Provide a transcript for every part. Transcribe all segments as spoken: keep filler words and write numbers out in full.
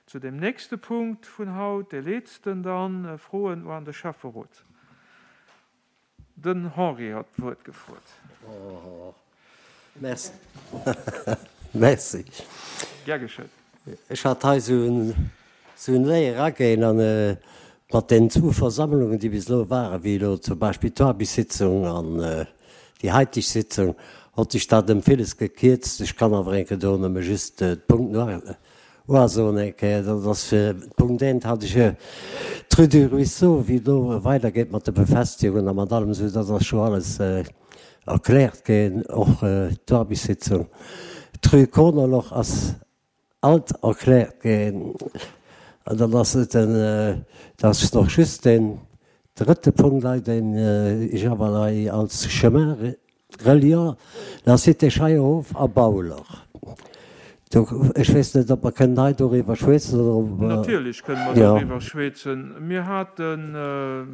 Zu dem nächste Punkt vun haut, dee letzten dann, Froen an de Schäfferot. Den Henri hat d'Wuert gefrot. Oh, merci. Merci. Gär geschétt. Ech hat hei esou en, esou en Léier agéien an mat deenen zwou Versammlungen, déi bis elo waren, wéi elo zum Beispill d'Aarbechtssitzung an déi haiteg Sitzung, hott sech dat ëm villes gekierzt. Ech kann awer eng Kéier do nëmme just d'Punkten uasoen eng Kéier. Dat ass fir Punkt eent hat ech d'Rue du Ruisseau, wéi do weidergeet mat de Befestigungen a mat allem esou, dat ass scho alles erkläert ginn, och d'Aarbechtssitzung. D'Rue Konerloch ass alt erkläert ginn. An dann ass et den, dat ass nach just deen drëtte Punkt hei, deen ech awer hei als Chemin reliant la Cité Scheierhof a Bauler. Do, ech weess net, ob mer kënnen hei doriwwer schwätzen oder ob mer. Natierlech kënnen mer doriwwer schwätzen. Mir haten,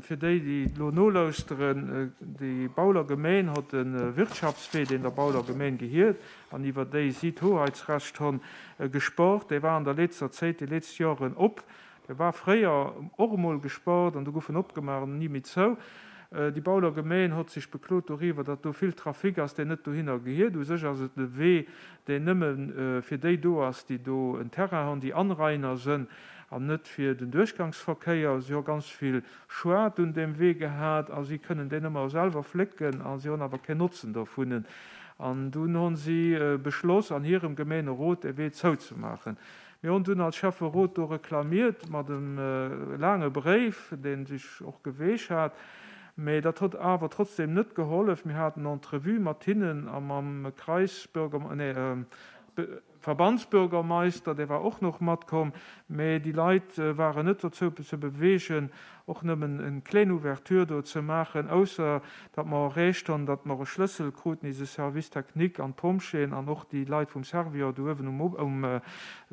fir déi, déi elo nolauschteren, déi Bauler Gemeen hott e Wirtschaftswee, deen der Bauler Gemeen gehiert an iwwer déi si d'Hoheitsrecht honn, gesport. Dee war an der letzter Zéit, déi letzt Joren op. Dee war fréier och emol gesport an du gouf en opgemaach an ni méi zou. Déi Bauler Gemeen hott sech beklot doriwwer, datt do vill Trafic ass, deen net dohinner gehiert. U sech ass et e Wee, deen nëmme fir déi do ass, déi do en Terrain honn, déi Anrainer sënn, an net fir den Duerchgangsverkéier. Si ho ganz vill Schued un deem Wee gehat a si kënnen deen ëmmer selwer flécken a si honn awer keen Notzen dovun. An dunn honn si beschloss, an hirem Gemeenerot dee Wee zouzemaachen. Mir hunn dunn als Schäfferot do reklamiert mat em laange Bréif, dee sech och geweech hat, mä dat hott awer trotzdem net gehollef. Mir haten Entrevue mat hinnen a mam Kreisbürger, nee, Verbandsbürgermeister, dee war och noch matkomm, mä déi Leit waren net dozou ze bewegen, och nëmmen en kleng Ouverture do ze maachen, ausser datt mer erreecht hunn, datt mer e Schlëssel kruten, eise Service technique an d'Pompjeeën an och déi Leit vum Servior do uewen um um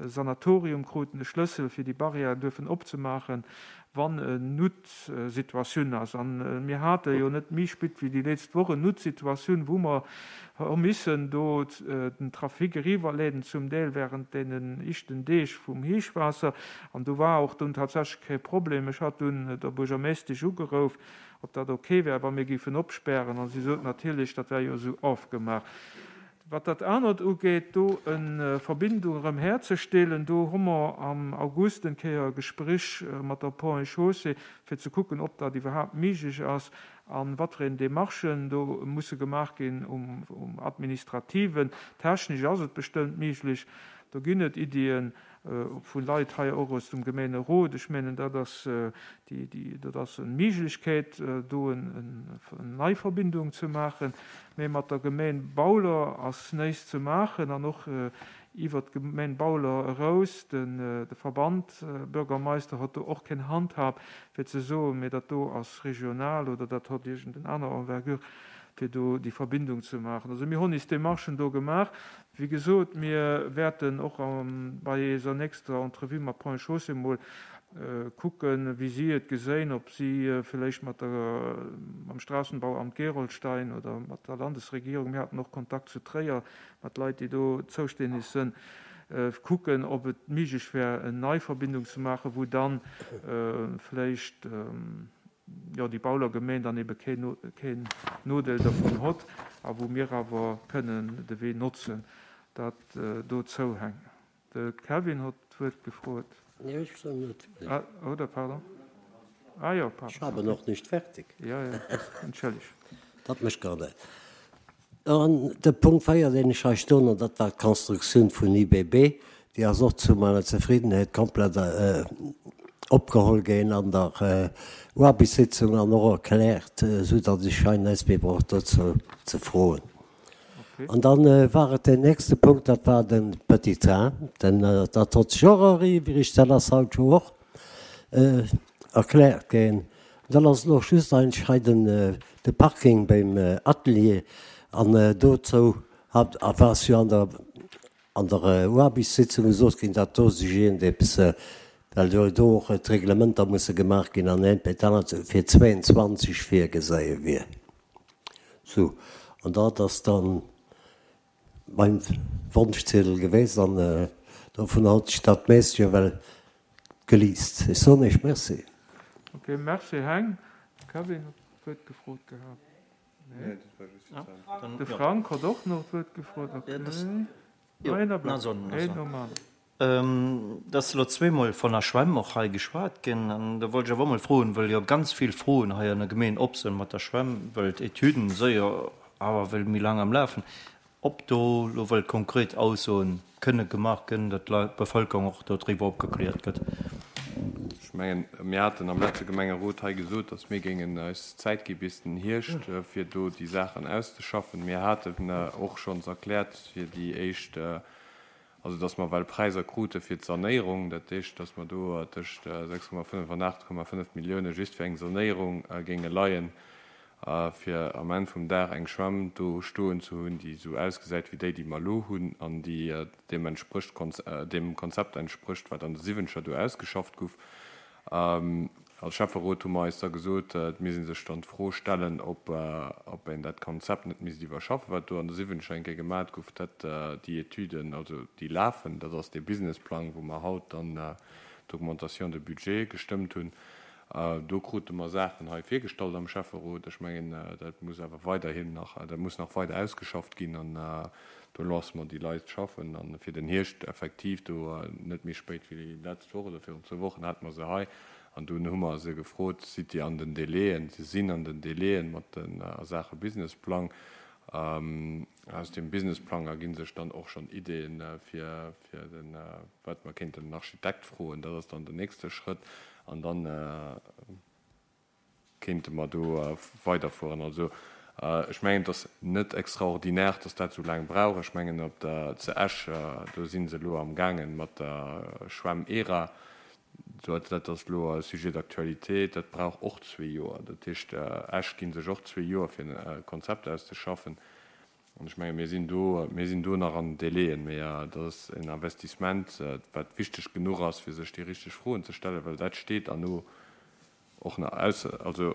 Sanatorium kruten e Schlëssel, fir déi Barrière duerfen opzemaachen, wann en Noutsituatioun ass. An mir hate jo net méi spit wéi déi letzt Woch en Noutsituatioun, wou mer hu missen do den Trafic eriwwerleeden, zum Deel während deenen ischten Deeg vum Héichwaasser. An do war och dunn tatsächlech kee Problem. Ech hat dunn der Buergermeeschtesch ugeruff, ob dat okay wär, wa mir géifen opspären. An si sot natierlech, dat wär jo esou ofgemaach. Wat dat anert ugeet, do eng Verbindung erëm herzestellen, do hu mer am August eng Kéier e Gespréch mat der Ponts et Chaussées, fir ze kucken, ob dat iwwerhaapt méiglech ass an wat fir een Démarchen do musse gemaach ginn um, um administrativen. Technesch ass et bestëmmt méiglech. Do ginn et Iddien vu Leit hei och aus dem Gemeenerot. Ech mengen, dat ass déi, déi, dat ass eng Méiglechkeet, do en, en nei Verbindung ze maachen. Mä mat der Gemeen Bauler ass näischt ze maachen an och iwwer d'Gemeen Bauler eraus, den, de Verband Bürgermeister hott do och keng Handhab, fir ze soen, mee dat do ass regional oder dat hott iergend aner Envergure, fir do déi Verbindung ze maachen. Also mir hunn is Démarchen do gemaach. Wéi gesot, mir wäerten och bei eiser nächster Entrevue mat Ponts et Chaussées mol kucken, wéi si et geséin, ob si vläicht mat der, mam Straßenbauamt Gerolstein oder mat der Landesregierung, mir haten och Kontakt zu Tréier mat Leit, déi do zoustänneg sënn, kucken, ob et méiglech wär, eng nei Verbindung ze maachen, wou dann vläicht, jo, déi Bauler Gemeen dann ebe keen, keen Nodeel dervun hott a wou mir awer kënnen de Wee notzen. Dat dozou hänkt. De Kevin hott d'Wuert gefrot. Nee, ech soll net. Ah, oder, pardon. Ah jo, pardon. Ech habe noch nicht fertig. Ja, ja, entschëlleg. Dat mécht gar net. An de Punkt véier, deen ech hei stoen, an dat war d'Constructioun vun I B B, déi ass och zu meiner Zefriedenheet komplett opgeholl ginn an der Aarbechtssitzung an och erkläert, sou datt ech hei näischt méi brauch dozou ze froen. An dann war et den nächste Punkt, dat war de Petit Train, den, dat hott sech och eriwwrigt, dat ass haut jo och erkläert ginn. Dann ass noch just eigentlech hei den de Parking beim Atelier an dozou hat war es jo an der an der Aarbechtssitzung gesot ginn, datt do sech iergendeppes, well jo do och d'Reglementer musse gemaach ginn an eent bei d'anert fir zwéianzwanzeg virgeséie wier. Sou, an dat ass dann mein Wonschziedel gewesen an Dovun hott ech dat meescht jo well geliest. Ech soen Iech Merci. Ok, merci Heng. De Kevin huet d'Wuert gefrot gehat. Nee? De Frank huet och nach d'Wuert gefrot. Ok. Een Ablack, een nom aneren. Et ass elo zweemol von der Schwämm och hei geschwat ginn. An do wollt ech awer och mol froen, well jo ganz vill Froen hei an der Gemeen op sinn mat der Schwämm, well d'Etüden si jo awer well méi laang am Lafen, ob do elo wëll konkret Aussoen kënne gemaach ginn, datt d'Bevëlkerung och do driwwer opgekläert gëtt. Ech mengen, mir haten am leschte Gemengerot hei gesot, datt mir géingen eis Zäit gi bis den Hierscht, fir do déi Saachen auszeschaffen. Mir haten och schonns erkläert fir déi éischt, also datt mer well Präisser krute fir d'Sanéierung, dat heescht, datt mer do tëscht sechs Komma fënnef an aacht Komma fënnef Millioune just fir eng Sanéierung géinge leien, fir am Enn vum Dag eng Schwämm do stoen ze hunn, déi esou ausgesäit wéi déi, déi mer elo hunn an déi deem entsprécht, deem Konzept entsprécht, wat an de Siwwenzeger do ausgeschafft guff. Als Schäfferot hu mer eis da gesot, et misst ee sech dann d'Fro stellen, ob een dat Konzept net misst iwwerschaffen, wat do an de Siwwenzeger eng Kéier gemat gouf. Dat, déi Etüden, also déi lafen, dat ass dee Businessplang, wou mer haut dann d'Augmentation de budget gestëmmt hunn. Do krute mer Saachen hei virgestallt am Schäfferot. Ech mengen, dat muss awer weiderhin nach, dat muss nach weider ausgeschafft ginn an do loosse mer déi Leit schaffen. A fir den Hierscht effektiv, do net méi spéit wéi d'lescht Woch oder virun zwou Wochen hate mer se hei an dunn hu mer se gefrot, Sidd Dir an den Délaiën? Se sinn an den Délaiën mat de a Saache Businessplang. Aus deem Businessplang ergi sech dann och schonn Ideeën fir fir den, wat mer kéinten den Architekt froen. Dat ass dann den nächste Schrëtt an dann kéinte mer do weiderfueren. Also ech mengen, et ass net extraordinaire, dass dat esou laang brauch. Ech mengen, op der zu Esch, do si se elo amgaangen mat der Schwämm ERA. Dat ass elo e Sujet d'actualité, dat brauch och zwee Joer. Dat heescht, Esch gi sech och zwee Joer, fir e Konzept auszeschaffen. An ech menge mir sinn do, mir sinn do nach an den Délaiën. Mee dat ass en Investissement, wat wichteg genuch ass, fir sech déi richteg Froen ze stellen, well dat steet erno och nach aus, also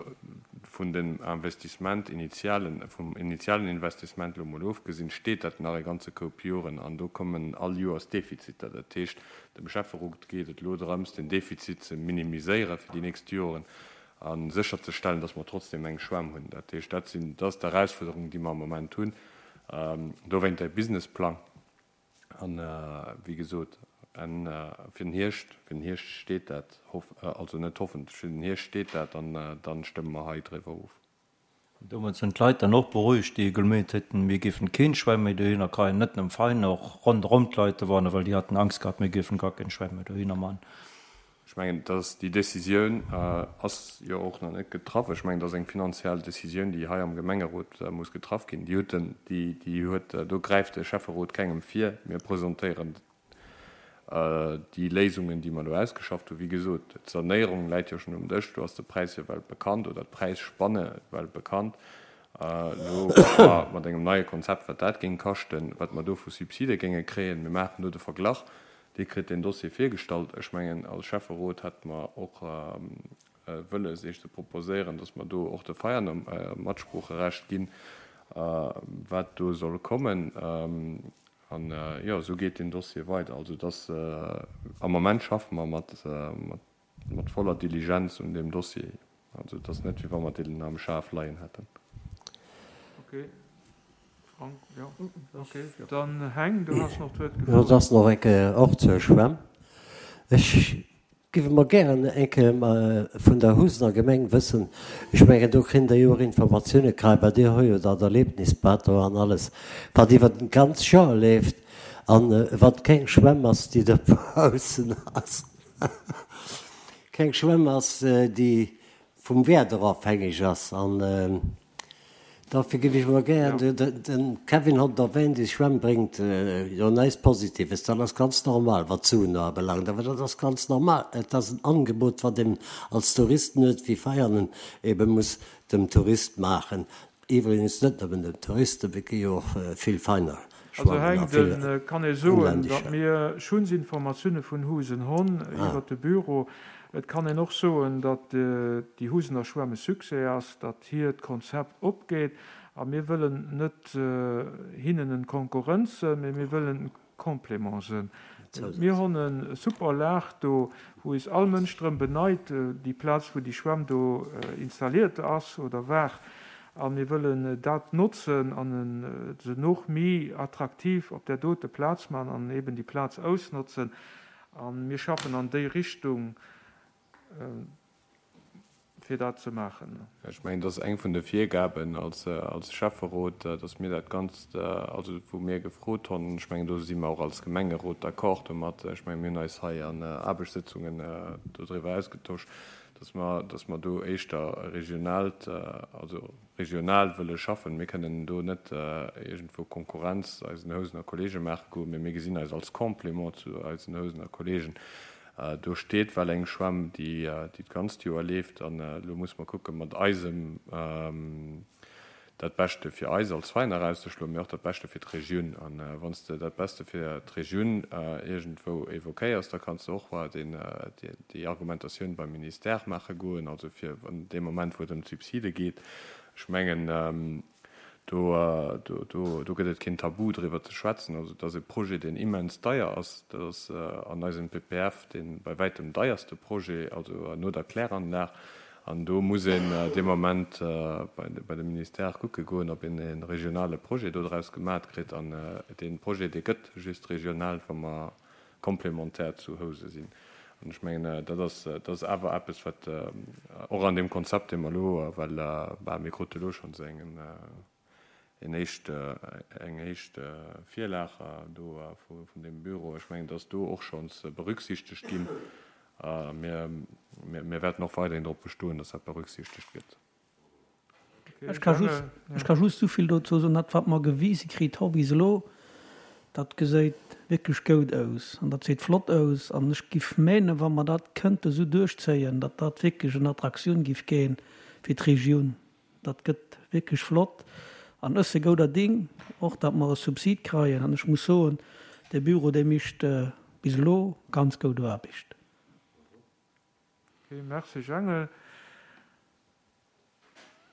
vun dem Investissement initialen, vum initialen Investissement elo emol ofgesinn, steet dat nach e ganze Koup Joren an do kommen all Joers Defiziter. Dat heescht, dem Schäfferot geet et elo drëms, den Defizit ze minimiséiere fir déi nächst Joren a sécherzestellen, dass mer trotzdem eng Schwämm hunn. Dat heescht, dat sinn, dat ass d'Erausfuerderung, déi mer am Moment hunn. Dowéint däi Businessplang. An, wéi gesot, fir den Hierscht, fir den Hierscht steet dat, also net hoffentlech, fir den Hierscht steet dat an da stëmme mer hei driwwer of. Domat sinn d'Leit dann och berouegt, déi gemeent hätten, mir géifen keen Schwäin méi dohinner kreien, net nëmme Vein, och ronderëm d'Leit dowanner, well déi haten Angst gehat, mir géifen gar keen Schwäin méi dohinner man. Ech mengen, dass déi Décisioun ass jo och nach net getraff. Ech mengen, dat ass eng finanziell Décisioun, déi hei am Gemengerot muss getraff ginn. Déi huet den, déi, déi huet, do gräift de Schäfferot kengem vir. Mir presentéieren déi Léisungen, déi mer elo ausgeschafft hunn. Wéi gesot, d'Sanéierung läit jo schonn um Dësch. Do ass de Präis jo well bekannt oder d'Präisspanne well bekannt. Elo kucke mer mat engem neie Konzept, wat dat géing kaschten, wat mer do vu Subside géinge kréien. Mir maachen do de Verglach. Dir kritt deen Dossier virgestallt. Ech mengen, als Schäfferot hätte mer och wëlles, Iech ze proposéieren, dass mer do och de Veianer Matsproocherecht ginn, wat do soll kommen. An, jo, esou geet deen Dossier weider. Also, dass, am Moment schaffe mer mat voller Diligenz un deem Dossier. Also, et ass net, wéi wa mer deen am Schaf leien hätten. Okay. Frank, jo, okay. Dann Heng, du has nach d'Wuert Jo, gefrot. et ass nach eng Kéier och zur Schwämm. Ech géif emol gären eng Kéier vun der Husener Gemeng wëssen, ech mengen, do kritt Der jo och Informatioune kei, well Dir hu jo dat Erlebnisbad do an alles, wat iwwer den ganz Joer leeft an wat keng Schwämm ass, déi dobaussen ass, keng Schwämm ass, déi vum Wieder ofhängeg ass. An dofir géif ech emol gären, de Kevin hott et erwähnt, déi Schwämm bréngt jo näischt Positives, dat ass ganz normal, wat d'Suen ubelaangt, awer dat ass ganz normal, et ass en Angebot, wat een als Touristen huet, wéi Veianen ebe muss dem Tourist maachen, iwwregens net nëmmen dem Touristen, et gi jo och vill Veiner Also schwammen a Heng, vill de kann ee soen, datt inlännescher. mir schunns Informatioune vun Husen honn iwwert de Büro. Et kann een och soen, datt déi Husener Schwämm e Succès ass, datt hiert Konzept opgeet. A mir wëllen net hinnen en Konkurrenz sënn, mee mir wëllen en Complément sënn. Mir hunn e super Lag do, wou is all Mënsch drëm beneit, déi Plaz, wou déi Schwämm do installiert ass oder war. A mir wëllen dat notzen an se noch méi attraktiv op där dote Plaz man an eben déi Plaz ausnotzen. A mir schaffen an déi Richtung, fir dat ze maachen. Ech mengen, dat ass eng vun de Virgaben als, als Schäfferot, dass mir dat Ganzt, also wou mir gefrot hunn, ech mengen, do si mer och als Gemengerot d'accord domat, ech mengen, mir hunn eis hei an Aarbechtssitzungen dodriwwer ausgetosch, dass mer, dass mer do éischter regionaalt, also regional wëlle schaffen. Mir kënnen do net iergendwou Konkurrenz eisen Housener Kollege maache goen, mee mir gesinn eis als Complément zu eisen Housener Kollegen. Do steet well eng Schwämm, déi déi d'ganzt Joer leeft, an elo muss mer kucke mat eisem dat Beschte fir eis als Veiner erauszeschloen, mee och dat Beschte fir d'Regioun. An wann s de dat Beste fir d'Regioun iergendwou évoquéiers, da kanns de och deen déi Argumentatioun beim Ministère maache goen, also fir an deem Moment, wou et ëm d'Subside geet. Ech mengen, do, do, do, do gëtt et keen Tabu driwwer ze schwätzen. Also et ass e Projet, deen immens deier ass. Dat ass an eisem P P F dee bei wäitem deierste Projet, also no der Kläranlag. An do muss een dee Moment bei, bei de Ministère kucke goen, ob een e regionale Projet do draus gemaach kritt. An dee Projet, dee gëtt just regional, wa mer komplementär zu Housen sinn. An ech mengen, dat ass, dat ass awer eppes, wat och an deem Konzept, dee mer elo, well bah, mir krute elo schonns engen en éischt, eng éischt Virlag do vun deem Büro. Ech mengen, dass do och schonns berücksichtegt ginn. Mir, mir, mir wäerten och weiderhin drop bestoen, dass dat berücksichtegt gëtt. Ech ka just, ech ka just souvill dozou soen, dat wat mer gewise kritt hu bis elo, dat gesäit wierklech gutt aus an dat gesäit flott aus an ech giff mengen, wa mer dat kënnte sou duerchzéien, datt dat wierklech eng Attraktioun giff ginn fir d'Regioun. Dat gëtt wierklech flott an ech si gouder Ding, och datt mer e Subsid kréien an ech muss soen, de Büro, dee mécht bis elo ganz gutt Aarbecht. Okay, merci Jangel.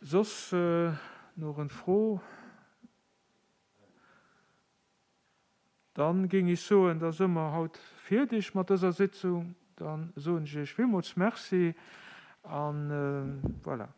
Soss äh, nach eng Fro? Dann géing ech soen, da si mer haut fäerdeg mat dëser Sitzung. Dann soen ech iech villmools Merci an äh, voilà.